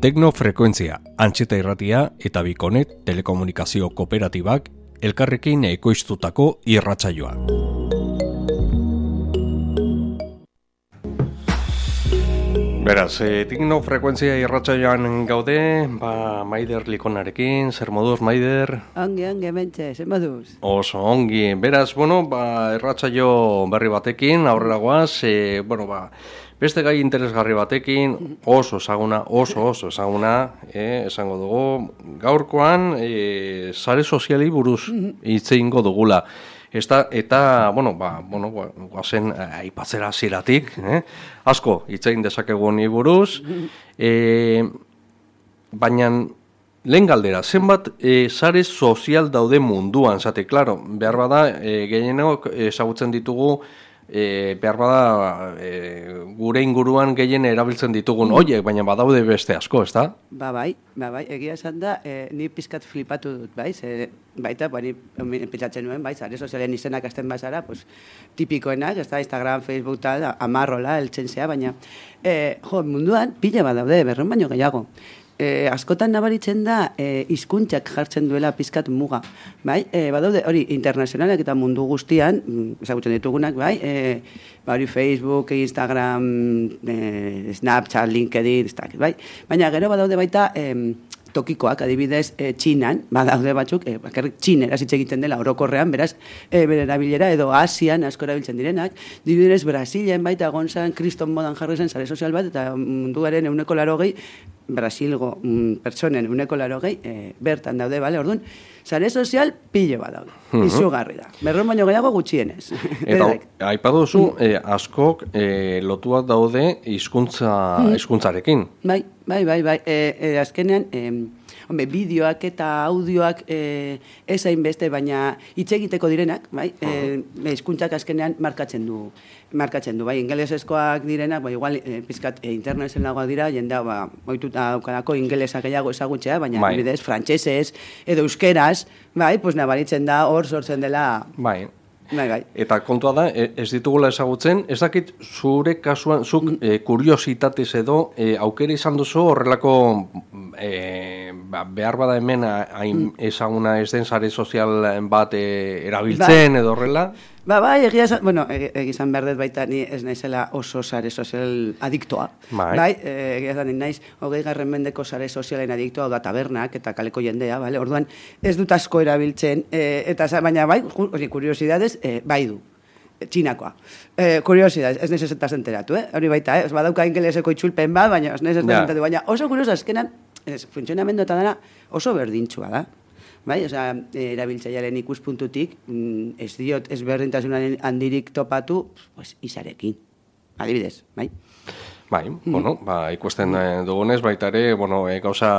Teknofrekuentzia, Antxeta Irratia eta Bikonet telekomunikazio kooperatibak elkarrekin ekoiztutako irratsaioa. Beraz, Teknofrekuentzia irratsaioan gaude, Maider Likonarekin, zer moduz, Maider? Ongi, mentxe, zer moduz? Oso, ongi. Beraz, irratsaio berri batekin, aurrera goaz, beste gai interesgarri batekin, oso ezaguna, esango dugu, gaurkoan, sare soziali buruz hitz egingo dugula. Eta, guazen aipatzera ziratik, asko hitz egin dezakegu honi buruz, baina lehen galdera, zenbat sare sozial daude munduan, zate, klaro, behar bada, gehienok ezagutzen ditugu, behar bada gure inguruan gehien erabiltzen ditugun horiek, baina badaude beste asko, ez da? Bai, egia esan da, ni pizkat flipatu dut, baita, ni pentsatzen nuen, sare sozialen izenak hasten bazara, tipikoenak, ez da, Instagram, Facebook, amarrola, eltzen zea, baina, munduan pila bat daude, berron baino gehiago. Askotan nabaritzen da hizkuntzak jartzen duela pizkat muga. Badaude hori internazionalak eta mundu guztian, ezagutzen ditugunak, Facebook, Instagram, Snapchat, LinkedIn, baina gero badaude baita tokikoak, adibidez, Txinan, badaude batzuk, bakarrik txinera hitz egiten dela orokorrean, beraz, bere erabilera, edo Asian asko erabiltzen direnak, adibidez, Brasilen baita gonzan, kriston modan jarri zen sare sozial bat, eta munduaren 180, Brasilgo pertsonen 180, bertan daude, orduan, sare sozial pilo bat daude, izugarri da, berron baino gehiago gutxienez. Eta, aipatu duzu, askok lotuak daude hizkuntzarekin. Bai, azkenean, bideoak eta audioak ezain beste, baina hitz egiteko direnak, hizkuntzak azkenean markatzen du, ingelesezkoak direnak, igual pizkat internetzen lagoak dira, jendea ohituta daukalako ingelesa gehiago ezagutzea, baina bidez frantsesez edo euskeraz, nabaritzen da hor sortzen dela. Bai. Eta kontua da, ez ditugula ezagutzen, ez dakit zure kasuan, zuk kuriositatez edo, aukera izan duzu horrelako behar bada hemen ezaguna ez den sare sozial bat erabiltzen edo horrela? Egia izan behar dut baita ni ez naizela oso sare sozial adiktoa. Egia izan naiz 20. mendeko sare sozialen adiktoa, da tabernak eta kaleko jendea, orduan ez dut asko erabiltzen, baina kuriosidadez, du. Txinakoa. Kuriosidadez, ez naiz ez enteratu, hori baita, ez badauka ingeleseko itxulpen bat, baina ez naiz ez enteratu, baina oso kurioso, azkenan, funtzionamendu eta dara oso berdintxua da. Erabiltzailearen ikuspuntutik, ez diot ezberdintasunaren handirik topatu, izarekin, adibidez, ikusten dugunez, baita ere, gauza,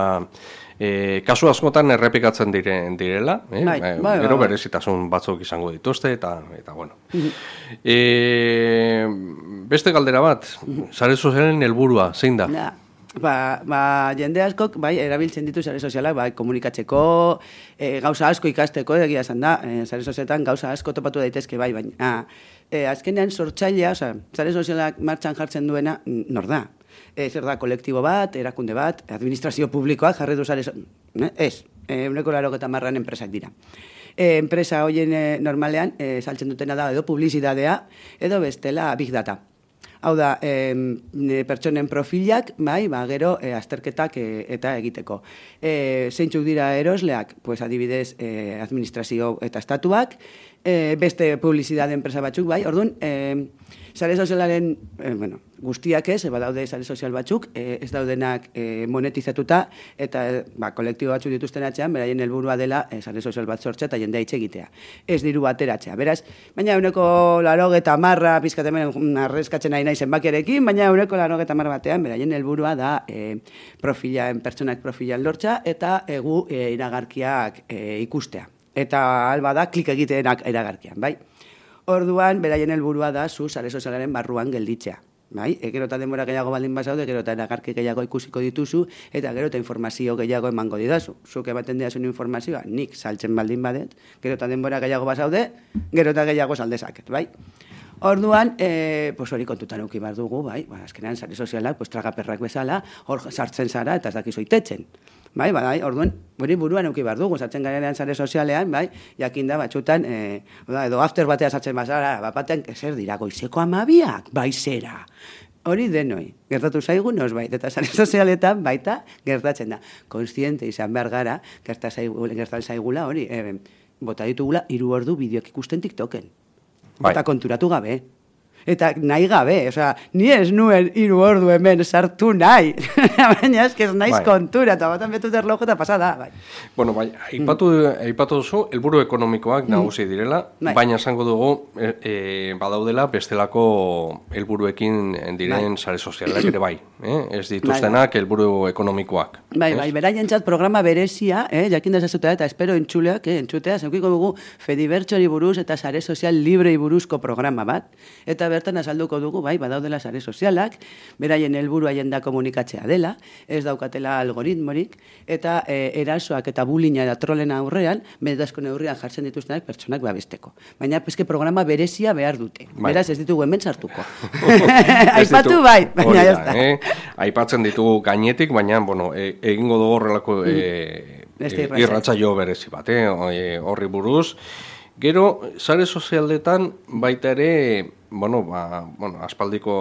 kasu askotan errepikatzen direla, gero berezitasun batzuk izango dituzte, eta beste galdera bat, sare sozialen helburua, zein da? Jende askok, erabiltzen ditu sare sozialak, komunikatzeko, gauza asko ikasteko, egia esan da, sare sozialetan gauza asko topatu daitezke, baina azkenean sortzailea, sare sozialak martxan jartzen duena, nor da? Zer da, kolektibo bat, erakunde bat, administrazio publikoak jarri du sare sozialak, ez, 180 enpresak dira. Enpresa horien normalean, saltzen dutena da, edo publizidadea, edo bestela big data. Hau da, pertsonen profilak, gero azterketak eta egiteko. Zeintzuk dira erosleak? Adibidez, administrazio eta estatuak, beste publizidade enpresa batzuk, orduan, sare sozialaren, guztiak ez, badaude sare sozial batzuk, ez daudenak monetizatuta, eta kolektibo batzuk dituzten atzean, beraien helburua dela sare sozial bat sortzea eta jendea hitz egitea. Ez diru bateratzea. Beraz, baina 180 pizkatemen arrezkatzen nahi zenbakiarekin, baina 180 batean, beraien helburua da pertsonak profilan lortza eta egu iragarkiak ikustea. Eta alba da klik egiteenak iragarkian, Orduan, beraien helburua da zu sare sozialaren barruan gelditzea. Gero eta denbora gehiago baldin bazaude, gero eta iragarki gehiago ikusiko dituzu, eta gero eta informazio gehiago emango didazu. Zuk ematen didazun informazioa, nik saltzen baldin badet, gero eta denbora gehiago bazaude, gero eta gehiago saldezaket, Orduan, pues hori kontutan euki behar dugu, bai, azkenean sare sozialak, pues tragaperrak bezala, hor sartzen zara eta ez dakizu itetzen. Bai, orduan, hori buruan euki behar dugu, sartzen garenean sare sozialean, bai, jakinda batxutan, edo after batea sartzen bazara, batean, zer dira, goizeko 12, bai zera. Hori denoi, gertatu zaigu nosbait, eta sare sozialetan baita gertatzen da. Kontziente izan behar gara, gertatzen zaigula hori, bota ditugula 3 ordu bideok ikusten TikToken. Eta konturatu gabe. Eta nahi gabe, osea, ni ez nuen 3 ordu hemen sartu nahi. Baina ez naiz kontura, eta batan betut erlojo eta pasada. Bai. Bueno, bai, aipatu duzu, helburu ekonomikoak nagusi direla, baina esango dugu, badaudela bestelako helburuekin diren sare sozialak ere bai. Ez dituztenak helburu ekonomikoak. Bai, beraientzat programa berezia, jakin dezazutea eta espero entzutea, zeukiko dugu Fedibertsori buruz eta sare sozial librei buruzko programa bat, eta bertan azalduko dugu, bai, badaudela sare sozialak, beraien helburua jenda komunikatzea dela, ez daukatela algoritmorik, eta erasoak eta bullyinga eta trolena aurrean, benetazko neurrian jartzen dituztenak pertsonak babesteko. Baina, peske programa berezia behar dute. Beraz, ez ditugu hemen sartuko. Aipatu bai, baina ez da. Aipatzen ditugu gainetik, baina, bueno, egingo dugu horrelako irratsaio berezi bat, horri buruz. Gero, sare sozialetan baita ere, aspaldiko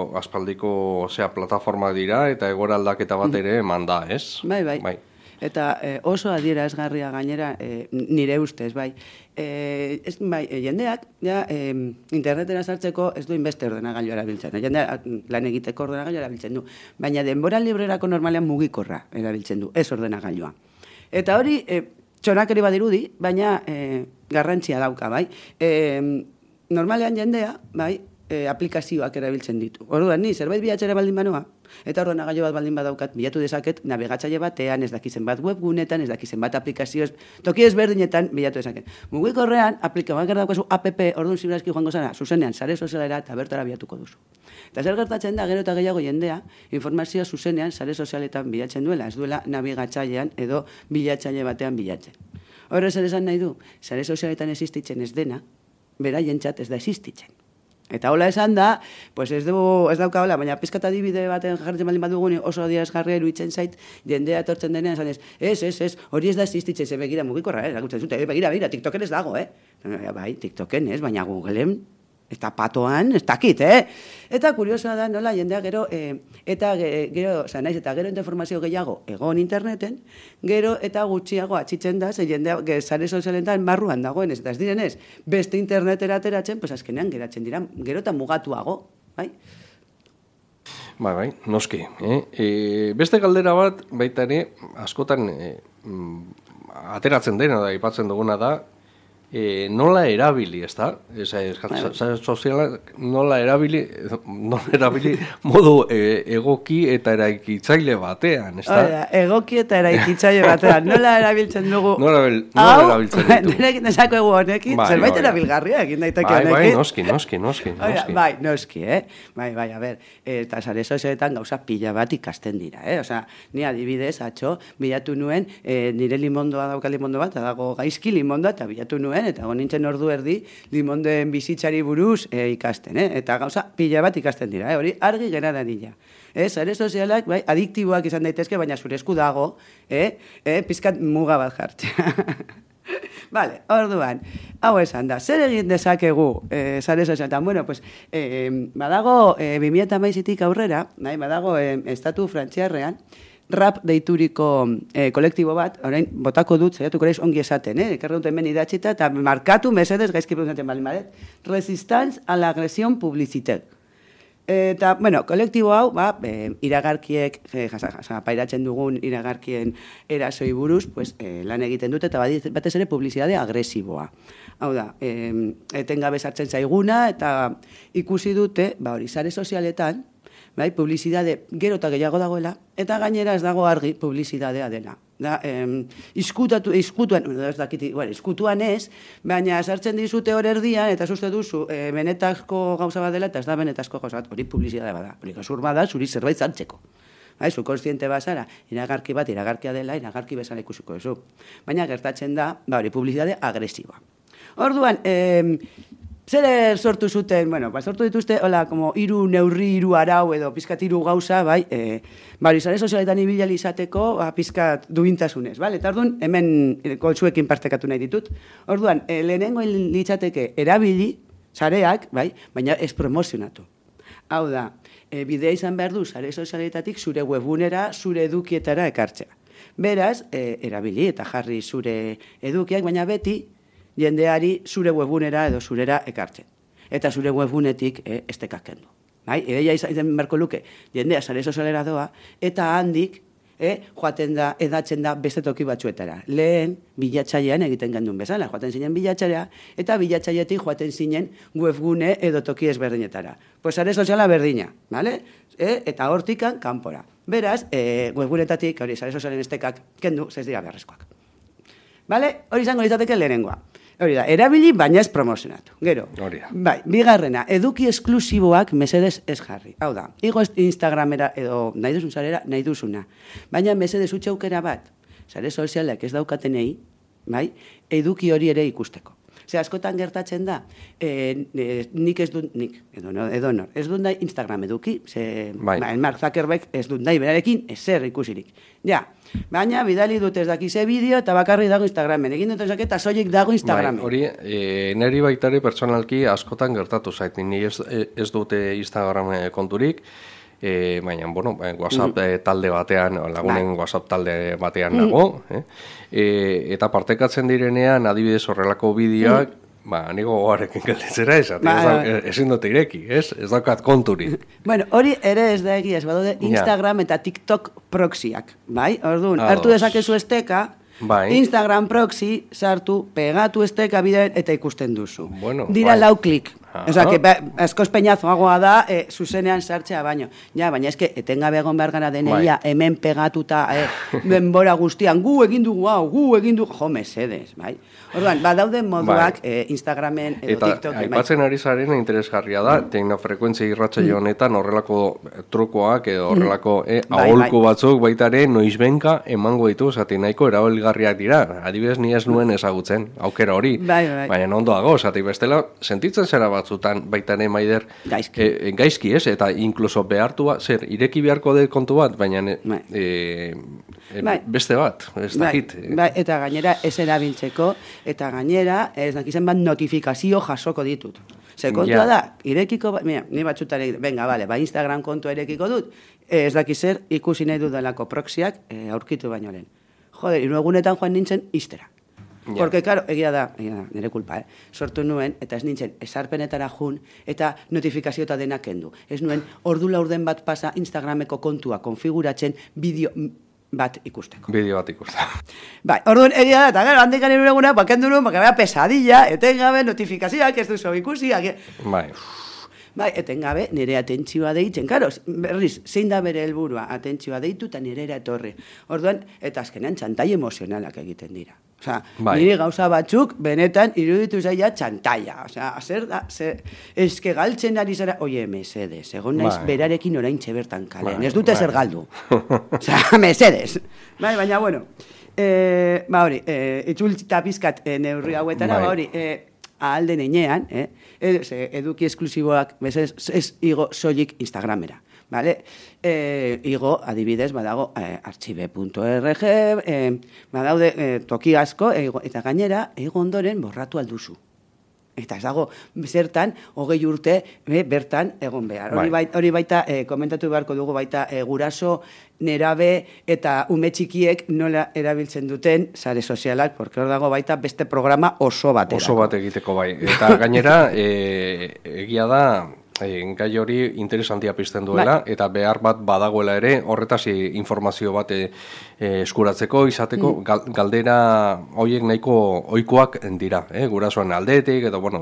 plataforma dira eta egoera aldaketa bat ere manda, ez? Bai. Eta oso adierazgarria gainera nire ustez, bai. Jendeak, internetera sartzeko ez du inbeste ordenagailua erabiltzen. Jendeak lan egiteko ordenagailua erabiltzen du. Baina denbora librerako normalean mugikorra erabiltzen du, ez ordenagailua. Eta hori, txonakeri badirudi, baina garrantzia dauka, bai. Normalean jendea, bai, aplikazioak erabiltzen ditu. Orduan, ni zerbait bilatzera baldin banoa, eta ordenagailu bat baldin badaukat, bilatu dezaket nabigatzaile batean, ez dakizen bat webgunetan, ez dakizen bat aplikazioz, toki ezberdinetan bilatu dezaket. Mugikorrean, aplikazioak daukazu app, orduan ziberazki joango zara, zuzenean, sare sozialera eta bertara bilatuko duzu. Eta zer gertatzen da, gero eta gehiago jendea, informazioa zuzenean, sare sozialetan bilatzen duela, ez duela nabigatzailean edo bilatzaile batean bilatzen. Horrez ere esan nahi du, sare sozialetan existitzen ez dena, beraientzat ez da existitzen. Eta hola esan da, pues ez dauka hola, baina pizkata adibide baten jartzen baldin badugun oso adierazgarria iruditzen zait, jendea etortzen denean esan ez, hori ez da existitzen, ze begira mugikorra, erakutzen zute, begira, TikToken ez dago, Bai, TikToken ez, baina Googleen, eta patoan, ez dakit, Eta kuriosoa da, nola, jendea gero, naiz eta gero informazio gehiago egon interneten, gero eta gutxiago atxitzen da, ze jendea sare sozialetan marruan dagoen, ez direnez, beste internetera ateratzen, pues azkenean geratzen dira, gero eta mugatuago, bai? Bai, noski. Beste galdera bat, baita ere, askotan ateratzen dena da, aipatzen duguna da, nola erabili, ez da? Sozialak nola erabili modu egoki eta eraikitzaile batean, ez da? Egoki eta eraikitzaile batean, nola erabiltzen dugu? Nola erabiltzen ditu? Nerekin desako egu honekin, zerbait erabilgarria egin daiteke honekin. Noski. Bai, noski, Bai, a ber, eta sare sozialetan gauza pila bat ikasten dira, Osea, ni adibidez, bilatu nuen, nire limondoa dauka limondo bat, dago gaizki limondoa, eta bilatu nuen, eta nintzen ordu erdi limondoen bizitzari buruz ikasten, eta gauza pila bat ikasten dira, hori argi gera dadila. Sare sozialak, bai, adiktiboak izan daitezke, baina zure esku dago, pizkat muga bat jartzea. Vale, orduan, hau esan da, zer egin dezakegu sare sozialetan? Bueno, pues, badago 2011tik aurrera, badago estatu frantziarrean, rap deituriko kolektibo bat, orain botako dut, zaiatuko reiz ongi esaten, ekarra dut hemen idatzita, eta markatu mesedez gaizki pronunciatzen baldin badet, Resistance a la agresión publicitaire. Eta, bueno, kolektibo hau, iragarkiek, pairatzen dugun iragarkien erasoi buruz, pues, lan egiten dute, eta batez ere publizitate agresiboa. Hau da, etengabe sartzen zaiguna, eta ikusi dute, hori, sare sozialetan, bai, publizitate gero eta gehiago dagoela, eta gainera ez dago argi publizitatea dela. Izkutuan ez, baina sartzen dizute hor erdian, eta uste duzu, benetazko gauza bat dela, eta ez da benetazko gauza bat, hori publizitatea bada. Hori gazur bada, zuri zerbait zartzeko. Zu konstiente bazara, iragarki bat, iragarkia dela, iragarki bezala ikusiko duzu. Baina gertatzen da, hori publizitate agresiboa. Orduan, Zer sortu zuten, bueno, sortu dituzte, hola, como hiru neurri, hiru arau edo pizkat hiru gauza, bai, sare sozialetan ibili izateko, pizkat duintasunez, bale? Eta orduan, hemen koltsuekin partekatu nahi ditut. Orduan, lehenengo litzateke erabili, sareak, bai, baina ez promozionatu. Hau da, bidea izan behar du, sare sozialetatik zure webgunera, zure edukietara ekartzea. Beraz, erabili eta jarri zure edukiak, baina beti, jendeari zure webgunera edo zurera ekartzen. Eta zure webgunetik estekak kendu. Bai? Ideia izan beharko luke, jendea sare sozialera doa, eta handik joaten da, edatzen da beste toki batzuetara. Lehen, bilatzailean egiten gendun bezala, joaten zinen bilatzailea, eta bilatzailetik joaten zinen webgune edo toki ezberdinetara. Pues sare soziala berdina, vale? Eta hortikan kanpora. Beraz, webgunetatik, hori, sare sozialen estekak kendu, ez dira beharrezkoak. Vale? Hori izango litzateke lehenengoa. Hori da, erabili, baina ez promozionatu. Gero, bai, bigarrena, eduki esklusiboak mesedez ez jarri. Hau da, igo Instagramera edo nahi duzun sarera, nahi duzuna. Baina mesedez utxaukera bat, sare sozialak ez daukatenei, bai, eduki hori ere ikusteko. Ze askotan gertatzen da, nik ez dut, edonor, ez dut nahi Instagram eduki, Mark Zuckerberg ez dut nahi berarekin ezer ikusirik. Ja, baina bidali dut ez dakize bideo eta bakarri dago Instagramen. Egin dut ezak eta soilik dago Instagramen. Hori, neri baitari pertsonalki askotan gertatu zait. Ni ez dute Instagram konturik, baina, bueno, WhatsApp talde batean, lagunen WhatsApp talde batean nago, eta partekatzen direnean, adibidez horrelako bideoak, nigo gogarekin gelditzera ezin dute ireki, ez daukat konturi. Bueno, hori ere ez da egia, ez badaude Instagram eta TikTok proxyak, bai? Orduan, hartu dezakezu esteka, Instagram proxy, sartu, pegatu esteka bidean eta ikusten duzu. Dira lau klik. Osa, que askoz peñazoagoa da, zuzenean sartzea baino. Ja, baina eske, etengabe egon behar gara deneia, hemen pegatuta, denbora guztian, gu egin dugu, jo, mesedez, bai? Orduan, badaude moduak Instagramen edo TikTok. Eta, aipatzen ari zaren interesgarria da, teknofrekuentzia irratsaio honetan horrelako trukoak edo horrelako aholku batzuk baitare noizbenka emango ditu, zati nahiko erabilgarriak dira. Adibidez, ni ez nuen ezagutzen, aukera hori. Baina ondoago, zati bestela, sentitzen zera batzutan baitane maider gaizki, ez? Eta inkluso behartua, zer, ireki beharko de kontu bat, baina beste bat, ez dakit. Eta gainera ez erabiltzeko, eta gainera ez dakizen bat notifikazio jasoko ditut. Ze kontua da, irekiko, ni batxutare, venga, vale, Instagram kontua irekiko dut, ez dakizer ikusi nahi dudalako proxiak aurkitu baino lehen. Joder, egunetan joan nintzen iztera. Porque, claro, egia da, nire kulpa, sortu nuen, eta ez nintzen esarpenetara jun, eta notifikazio eta denak kendu. Ez nuen, ordu laurden bat pasa Instagrameko kontua konfiguratzen bideo bat ikusteko. Bideo bat ikusteko. Bai, orduan egia da, eta gero, handik nire eguna, bakendu nuen, baka pesadilla, etengabe notifikazioak ez duzu ikusi. Bai, etengabe nire atentzioa deitzen. Karo, berriz, zein da bere helburua atentzioa deitu eta nire etorri. Orduan, eta azkenean txantai emozionalak egiten dira. Osa, nire gauza batzuk, benetan, iruditu zaila txantaia. Osa, zer da, eske galtzen ari zara, oie, mesedez, egon naiz berarekin orain txebertan kalean. Ez dute zer galdu. Osa, mesedez. Baina, bueno, hori, itzultzita pizkat neurri hauetara, hori, ahalden einean, eduki esklusiboak, ez igo soilik Instagramera. Vale? Igo, adibidez, badago archive.org, badaude toki asko, eta gainera, ego ondoren borratu alduzu. Eta ez dago, zertan, 20 urte, bertan egon behar. Hori baita, komentatu beharko dugu baita, guraso, nerabe eta ume txikiek nola erabiltzen duten sare sozialak, porque hor dago baita beste programa oso bat. Oso bat egiteko bai. Eta gainera, egia da, gai hori interesantia pizten duela, eta behar bat badagoela ere, horretaz informazio bat eskuratzeko, izateko, galdera horiek nahiko ohikoak dira, gurasoan aldetik, eta, bueno,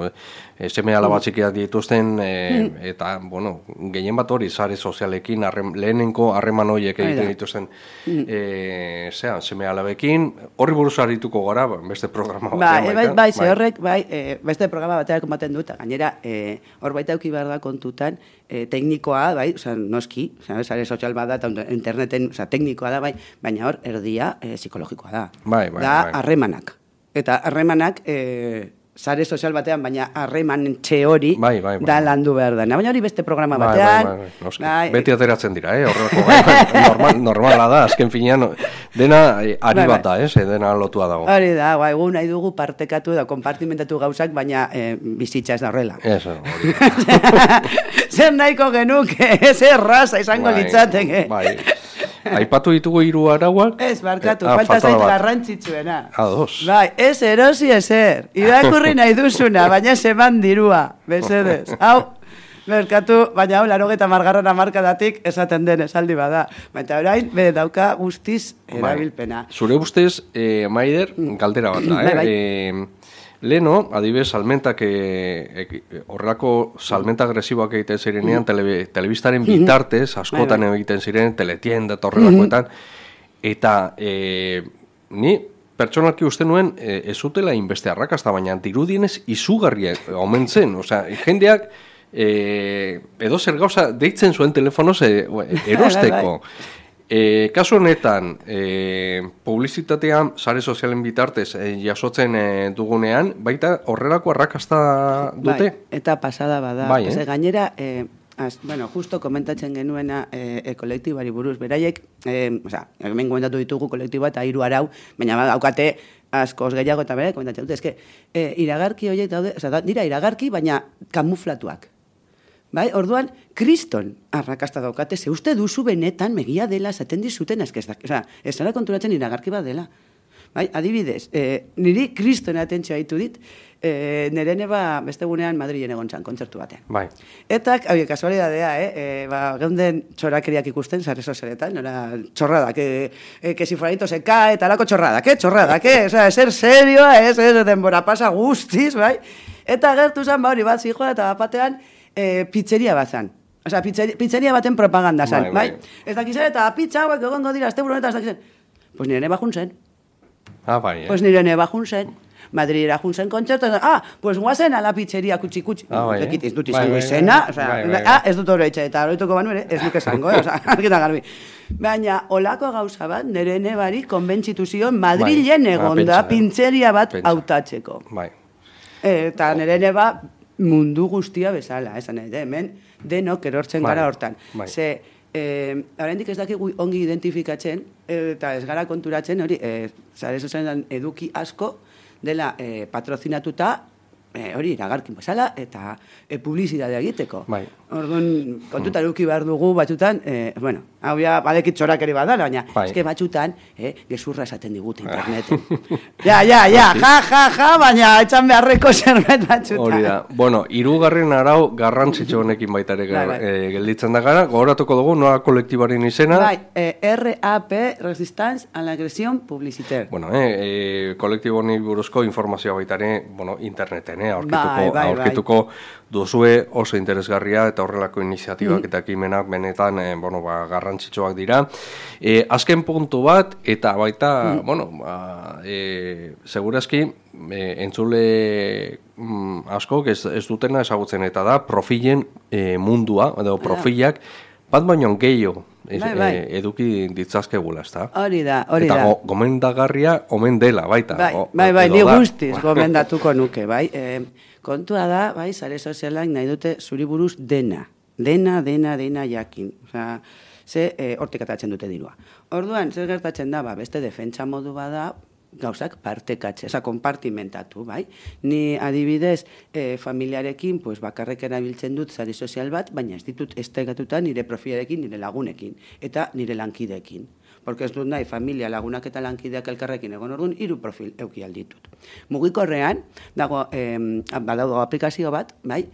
seme alaba txikiak dituzten, eta, bueno, gehien bat hori, sare sozialekin, lehenenko harreman horiek egiten dituzten, seme alabekin, horri buruz harituko gara, beste programa batean. Bai, ze horrek, beste programa batean komaten dut, gainera, hor baita euki behar da kontutan, teknikoa, bai, noski, sare sozial bat da, interneten, teknikoa da, bai, baina hor, erdia psikologikoa da. Da, harremanak. Eta harremanak sare sozial batean, baina harreman hori da landu behar dena. Baina hori beste programa batean. Beti ateratzen dira, horrelako normala da, azken finean, dena ari bat da, dena lotua dago. Hori da, egun nahi dugu partekatu da, konpartimentatu gauzak, baina bizitza ez da horrela. Hori. Zer nahiko genuke, zer raza izango litzateke. Aipatu ditugu 3 arauak. Ez, barkatu, falta zait garrantzitsuena. Ados. Ez erosi ezer. Irakurri nahi duzuna, baina zeman dirua. Besedez. Hau, merkatu, baina hau, 80. hamarkadatik esaten den esaldi bada. Baina orain, dauka guztiz erabilpena. Zure ustez, Maider, galdera bat da, Leno, adibidez, salmentak, horrelako salmenta agresiboak egiten zirenean, telebistaren bitartez, askotan egiten ziren, teletienda eta horrelakoetan, eta ni pertsonalki uste nuen ez zutela inbeste arrakasta, baina dirudienez izugarria omen zen, osea, jendeak edo zer gauza deitzen zuen telefonoz erosteko. Kasu honetan, publizitatean, sare sozialen bitartez jasotzen dugunean, baita horrelako arrakasta dute? Eta pasada bada. Gainera, justo komentatzen genuena kolektibari buruz, beraiek, hemen komentatu ditugu kolektiba eta 3 arau, baina daukate askoz gehiago eta bere, komentatzen dute, iragarki horiek daude, dira iragarki, baina kamuflatuak. Orduan, kriston arrakasta daukate, ze uste duzu benetan megia dela esaten dizuten azkezdak. Ez zara konturatzen iragarki bat dela. Adibidez, niri kriston atentzioa ditu dit, nire neba beste gunean Madrilen egon zan, kontzertu batean. Eta, kasualidadea, geunden txorakeriak ikusten, sare sozialetan, txorradak, que si fueranito se cae, talako txorradak, eser serioa, ez denbora pasa guztiz, eta gertu zan, hori bat zijoa eta batean, pizzeria bat zan. Osa, pizzeria baten propaganda zan. Ez dakizan eta pizza hauek egongo dira, azte buronetan ez dakizan. Pues nire neba juntzen. Pues nire neba juntzen. Madrilera juntzen kontzertu. Pues guazen a la pizzeria kutsi-kutsi. Ez dut izango izena. Ez dut hori etxe eta horretuko banu ere, ez duk esango. Argita garbi. Baina, olako gauza bat, nire nebari konbentzitu zion Madrilen egonda pizzeria bat hautatzeko. Eta nire neba mundu guztia bezala, esan hemen denok erortzen gara hortan. Ze, oraindik ez dakigu ongi identifikatzen, eta ez gara konturatzen, hori, sare sozialetan eduki asko dela patrozinatuta, hori, iragarkin bezala, eta publizitatea egiteko. Orduan, kontuta eduki behar dugu batzutan, hau ja, badekit txorakeri badala, baina, eske batzutan, gezurra esaten digute interneten. Ja, baina, etxan beharreko zerbait batzutan. Hori da. Bueno, 3. arau garrantzitsu honekin baitare gelditzen da gara, gogoratuko dugu, noa kolektibaren izena? RAP, Resistance a la Agresión Publicitaire. Bueno, kolektibo honi buruzko informazioa baitare, interneten, aurkituko duzue oso interesgarria eta horrelako iniziatibak eta ekimenak benetan garrantzitsuak dira. Azken puntu bat, eta baita, segurazki, entzule askok ez dutena ezagutzen eta da profilen mundua, edo profilak, bat baino gehiago eduki ditzazkegula, ez da? Hori da. Eta gomendagarria omen dela, baita. Ni guztiz gomendatuko nuke, bai. Kontua da, bai, sare sozialak nahi dute zuri buruz dena jakin. Osea, ze hortik atatzen dute dirua. Orduan, zer gertatzen da, beste defentsa modu bada, gauzak partekatze, konpartimentatu, bai? Ni adibidez, familiarekin, bakarrek erabiltzen dut sare sozial bat, baina ez ditut estegatuta nire profilarekin, nire lagunekin, eta nire lankideekin. Porque ez dut nahi, familia, lagunak eta lankideak elkarrekin egon orduan, 3 profil euki alditut. Mugikorrean, badaude aplikazio bat, bai?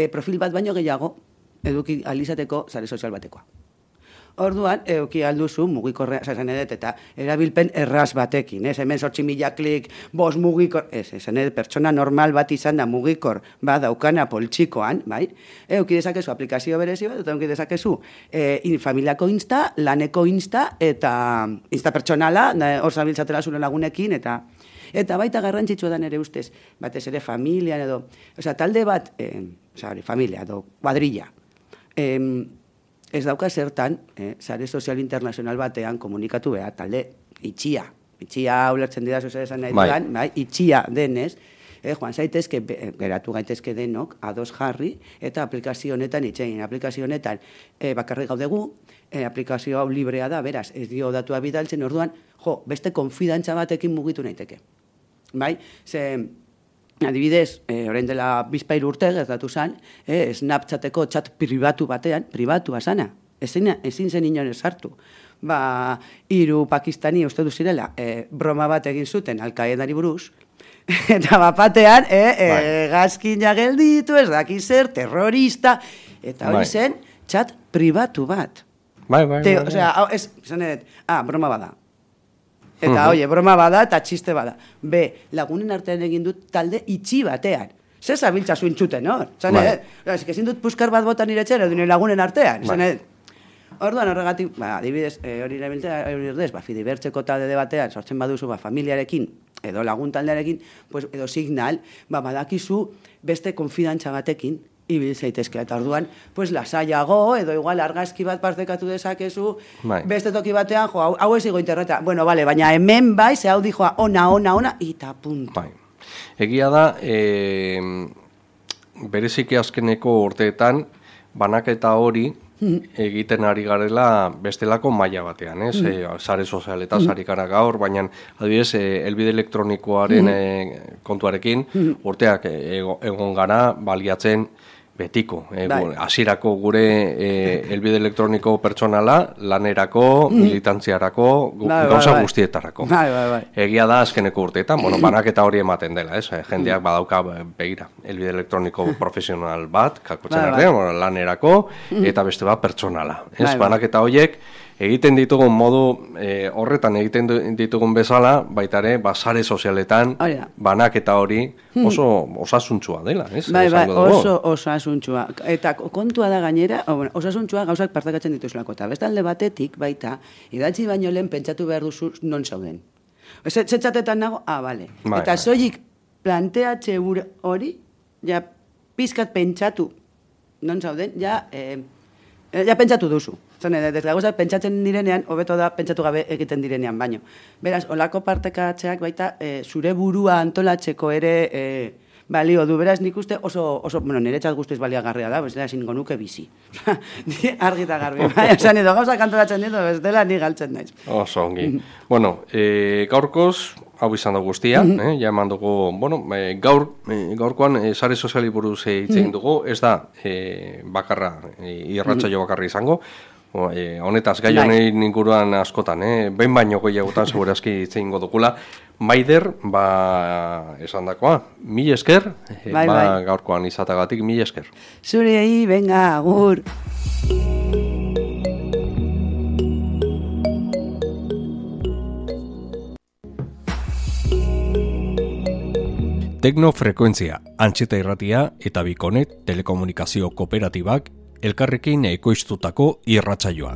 Profil bat baino gehiago, eduki alizateko sare sozial batekoa. Orduan, euki alduzu mugikorrea, esan edet, eta erabilpen erraz batekin, hemen 8.000 klik, 5 mugikor, esan edet, pertsona normal bat izan da mugikor, daukana poltsikoan, bai? Euki dezakezu aplikazio berezi bat, eta euki dezakezu familiako insta, laneko insta, eta insta pertsonala, hor zabiltzatela zure lagunekin, eta baita garrantzitsua da nere ustez, batez ere familia edo, talde bat, familia edo kuadrilla, ez dauka zertan, sare sozial internazional batean komunikatu behar, talde itxia ulertzen dira zuzer esan nahi dudan, itxia denez, joan zaitezke, geratu gaitezke denok, ados jarri, eta aplikazio honetan itxegin. Aplikazio honetan bakarrik gaudegu, aplikazio hau librea da, beraz, ez dio datua bidaltzen, orduan, beste konfidantza batekin mugitu naiteke. Bai, adibidez, orain dela bizpairu urte gertatu zen, Snapchateko chat pribatu batean, pribatua sana, ezin zen inoen sartu. 3 pakistani uste du zirela, broma bat egin zuten Al-Qaedari buruz, eta bapatean, gazkina gelditu, ez daki zer, terrorista, eta hori zen, chat pribatu bat. Bai. Osea, broma bada. Eta, broma bada eta txiste bada. Lagunen artean egin dut talde itxi batean. Zer zabiltza zuintzuten, hor? Ezin dut puskar bat botan iretxera, dune lagunen artean. Orduan horregatik, adibidez, hori erdez, Fidibertzeko talde batean, sortzen baduzu, familiarekin, edo lagun taldearekin, edo signal, badakizu beste konfidantza batekin, ibil zaitezke, eta orduan, lasaiago, edo igual argazki bat partekatu dezakezu, beste toki batean, hau ez igo interneta, baina hemen bai, ze hau dijoa, ona, eta punto. Egia da, bereziki azkeneko urteetan, banaketa hori, egiten ari garela bestelako maila batean, sare sozialetaz ari gara gaur, baina adibidez, helbide elektronikoaren kontuarekin urteak egon gara baliatzen betiko. Hasierako gure helbide elektroniko pertsonala, lanerako, militantziarako, gauza guztietarako. Egia da azkeneko urteetan, banaketa hori ematen dela, jendeak badauka begira, helbide elektroniko profesional bat, kakotzen artean, lanerako, eta beste bat pertsonala. Banaketa horiek, egiten ditugun modu horretan egiten ditugun bezala, baita ere, sare sozialetan, banaketa hori oso osasuntsua dela, oso osasuntsua. Eta kontua da gainera, osasuntsua gauzak partekatzen dituzulako. Eta bestalde batetik, baita, idatzi baino lehen pentsatu behar duzu non zauden. Zetxatetan nago, bale. Eta soilik planteatxe hori, ja pizkat pentsatu non zauden, ja pentsatu duzu. Gauzak pentsatzen direnean, hobeto da pentsatu gabe egiten direnean baino. Beraz, olako partekatzeak baita zure burua antolatzeko ere balio du. Beraz, nik uste oso niretzat guztiz baliagarria da, bestela ezingo nuke bizi. Argi eta garbi. Esan edo gauzak antolatzen ditu, bestela ni galtzen naiz. Oso ongi. Gaurkoz, hau izan da guztia, ja eman dugu, gaurkoan sare soziali buruz hitzein dugu, ez da bakarra, irratsaio bakarra izango, honetaz, gai honen inguruan askotan, behin baino gehiagotan segurazki hitzein dugula, Maider, esan dakoa, 1000 esker, gaurkoan izatagatik 1000 esker. Zurei, venga, agur. Teknofrekuentzia, Antxeta Irratia eta Bikonet telekomunikazio kooperatibak elkarrekin ekoiztutako irratsaioa.